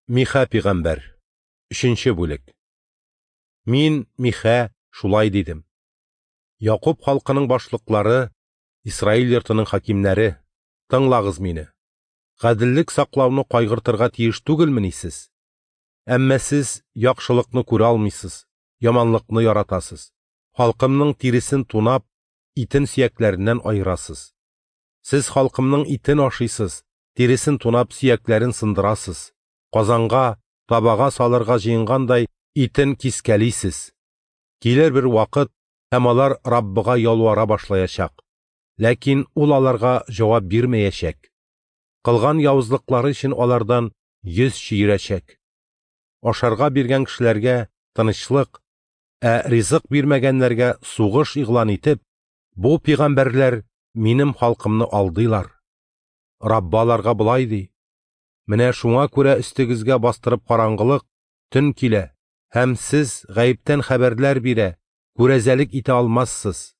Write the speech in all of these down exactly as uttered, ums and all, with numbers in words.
Миха пигамбәр. Өченче бүлек. Мин, Миха, шулай дидем. Якуб халкының башлыклары, Исраил йортының хакимнәре, тыңлагыз мине. Гаделлек саклауны кайгыртырга тиеш түгелмени сез? Әмма сез яхшылыкны күрә алмыйсыз, яманлыкны яратасыз. Халкымның тиресен тунап, итен сөякләреннән айырасыз. Сез халкымның итен ашыйсыз, тиресен тунап, сөякләрен сындырасыз. Казанга, табага салырга җыенгандай итен кискәлисез. Килер бер вакыт, һәм алар Раббыга ялвара башлаячак. Ләкин ул аларга җавап бирмәячәк. Кылган явызлыклары өчен алардан йөз чөерәчәк. Ашарга биргән кешеләргә тынычлык, ә ризык бирмәгәннәргә сугыш игълан итеп, бу пигамбәрләр минем халкымны алдыйлар. Раббы аларга болай ди: Менә шуңа күрә өстегезгә бастырып караңгылык, төн килә, һәм сез гаептән хәбәрләр бирә, күрәзәлек итә алмассыз.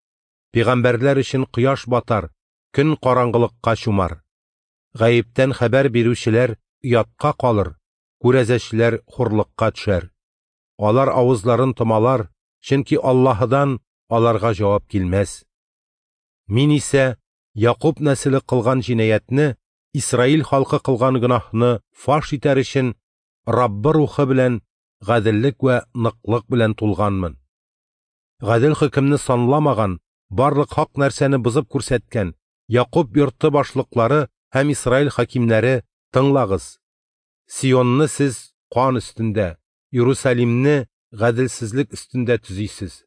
Пигамбәрләр өчен кояш батар, көн караңгылыкка чумар. Гаептән хәбәр бирүчеләр оятка калыр, күрәзәчеләр хурлыкка төшәр. Алар авызларын томалар, чөнки Аллаһыдан аларга җавап килмәс. Мин исә Якуб нәселе кылган җинаятьне, Исраил халкы кылган гөнаһны фаш итәр өчен Раббы рухы белән гаделлек вә ныклык белән тулганмын. Гадел хөкемне санламаган, барлык хак нәрсәне бозып күрсәткән Якуб йорты башлыклары һәм Исраил хакимнәре, тыңлагыз. Сионны сез кан өстендә, Иерусалимне гаделсезлек өстендә төзисез.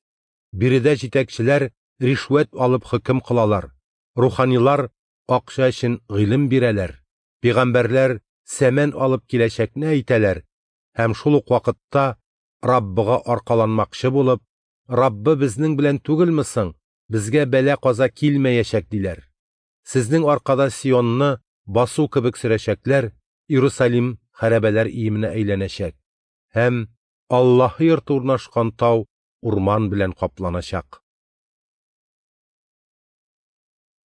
Биредә җитәкчеләр ришвәт алып хөкем кылалар, руханилар акча өчен гыйлем бирәләр, пигамбәрләр сәмән алып киләчәкне әйтәләр һәм шул ук вакытта Раббыга аркаланмакчы булып, Раббы безнең белән түгелме соң, безгә бәла-каза килмәячәк диләр. Сезнең аркада Сионны басу кебек сөрәчәкләр, Иерусалим хәрабәләр иеменә әйләнәчәк һәм Аллаһы йорты урнашкан тау урман белән капланачак.